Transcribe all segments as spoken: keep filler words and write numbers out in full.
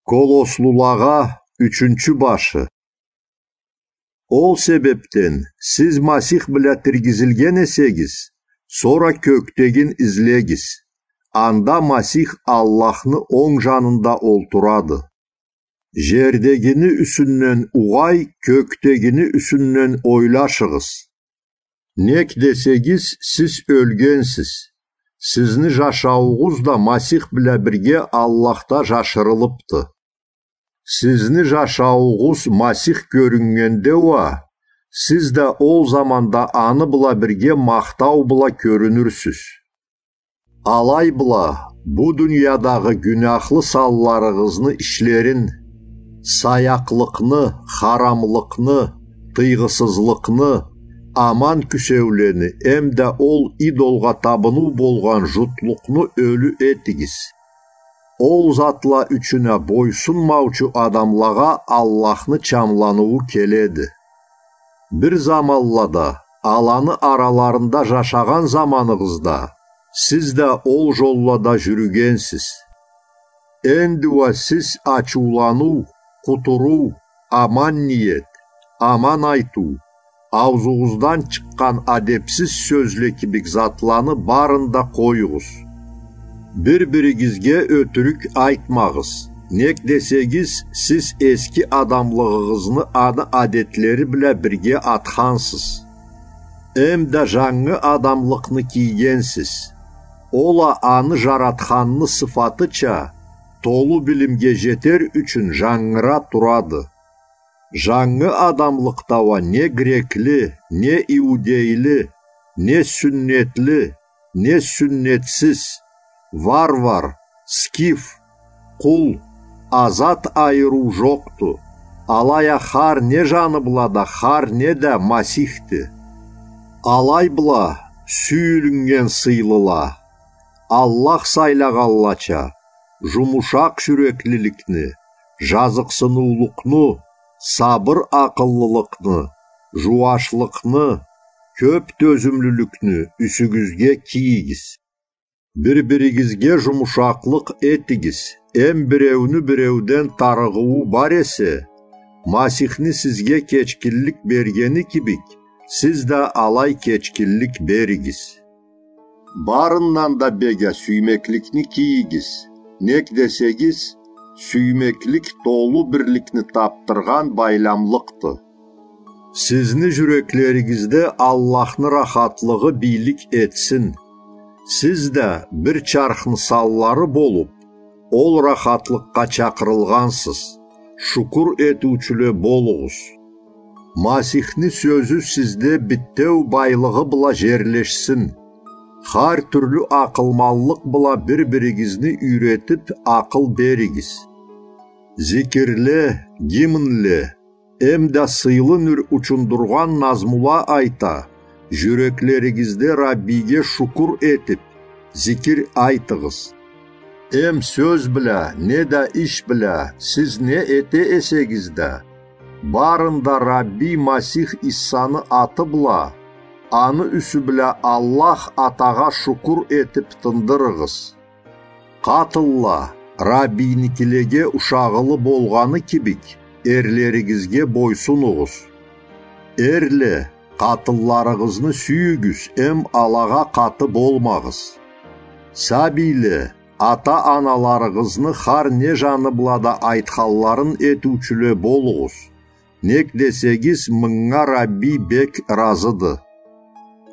Колослулагъа ючюнчю башы. Ол себебден сиз Масих бла тиргизилген эсегиз, сора кёкдегин излегиз. Анда Масих Аллахны онг жанында олтурады. Жердегини юсюнден угъай, кёкдегини юсюнден ойлашыгъыз. Нек десегиз, сиз ёлгенсиз. Сизни жашауугъуз да Масих бла бирге Аллахда жашырылыпды. Сизни жашауугъуз Масих кёрюннгенде уа, сиз да ол заманда аны бла бирге махтау бла кёрюнюрсюз. Алай бла, бу дуниядагъы гюняхлы санларыгъызны ишлерин, саякълыкъны, харамлыкъны, тыйгъысызлыкъны, аман кюсеулени эмда ол идолгъа табыну болгъан жутлукъну ёлю этигиз. Ол затла ючюн а бойсунмаучу адамлагъа Аллахны чамланыуу келеди. Бир заманлада аланы араларында жашагъан заманыгъызда сиз да ол жоллада жюрюгенсиз. Энди уа сиз ачыуланыу, къутуруу, аман ниет, аман айтыу, аузугъуздан чыкъгъан адепсиз сёзле кибик затланы барын да къоюгъуз. Бир-биригизге ётюрюк айтмагъыз. Нек десегиз, сиз эски адамлыгъыгъызны аны адетлери бла бирге атхансыз. Эмда жангы адамлыкъны кийгенсиз. Ол а аны жаратханны сыфатыча, толу билимге жетер ючюн жангыра турады. Жангы адамлыкъда уа не грекли, не иудейли, не сюннетли, не сюннетсиз, варвар, скиф, къул, азат айырыу жокъду. Алай а хар не жаны бла да, хар не да Масихди. Алай бла, сюйюлюннген сыйлыла, Аллах сайлагъанлача, жумушакъ жюреклиликни, жазыкъсыныулукъну, сабыр акъыллылыкъны, жууашлыкъны, кёп тёзюмлюлюкню юсюгюзге кийигиз. Бир-биригизге жумушакълыкъ этигиз, эм биреуню биреуден тарыгъыуу бар эсе, Масихни сизге кечгинлик бергени кибик, сиз да алай кечгинлик беригиз. Барындан да бек а сюймекликни кийигиз. Нек десегиз, сюймеклик толу бирликни табдыргъан байламлыкъды. Сизни жюреклеригизде Аллахны рахатлыгъы бийлик этсин. Сиз да бир чархны санлары болуп, ол рахатлыкъгъа чакъырылгъансыз. Шукур этиучюле болугъуз. Масихни сёзю сизде битеу байлыгъы бла жерлешсин. Хар тюрлю акъылманлыкъ бла бир-биригизни юйретип, акъыл беригиз. Зикирле, гимнле, эмда сыйлы нюр учундургъан назмула айта, жюреклеригизде Раббиге шукур этип, зикир айтыгъыз. Эм сёз бла, неда иш бла сиз не эте эсегиз да, барында Рабби Масих Иссаны аты бла, аны юсю бла Аллах Атагъа шукур этип тындырыгъыз. Къатынла, Раббийникилеге ушагъылы болгъаны кибик, эрлеригизге бойсунугъуз. Эрле, къатынларыгъызны сюйюгюз эм алагъа къаты болмагъыз. Сабийле, ата-аналарыгъызны хар не жаны бла да айтханларын этиучюле болугъуз. Нек десегиз, мынга Рабби бек ыразыды.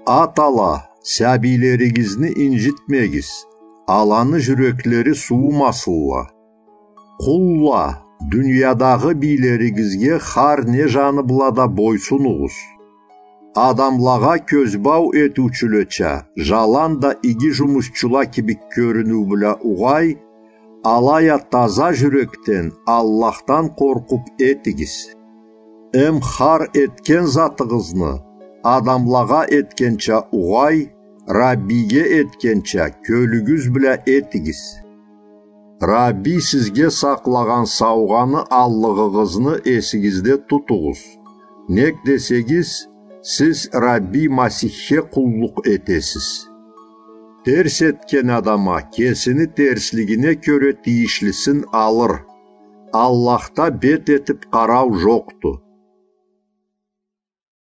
Атала, сабийлеригизни инжитмегиз, аланы жюреклери суумасынла. Къулла, дуниядагъы бийлеригизге хар не жаны бла да бойсунугъуз. Адамлагъа кёзбау этиучюлеча, жаланда иги жумушчула кибик кёрюнюу бла угъай, алай а таза жюрекден Аллахдан къоркъуп этигиз. Эм хар этген затыгъызны адамлагъа этгенча угъай, Раббиге этгенча кёлюгюз бла этигиз. Рабби сизге сакълагъан саугъаны аллыгъыгъызны эсигизде тутугъуз. Нек десегиз, сиз Рабби Масихге къуллукъ этесиз. Терс этген адам а кесини терслигине кёре тийишлисин алыр. Аллахда бет этип къарау жокъду.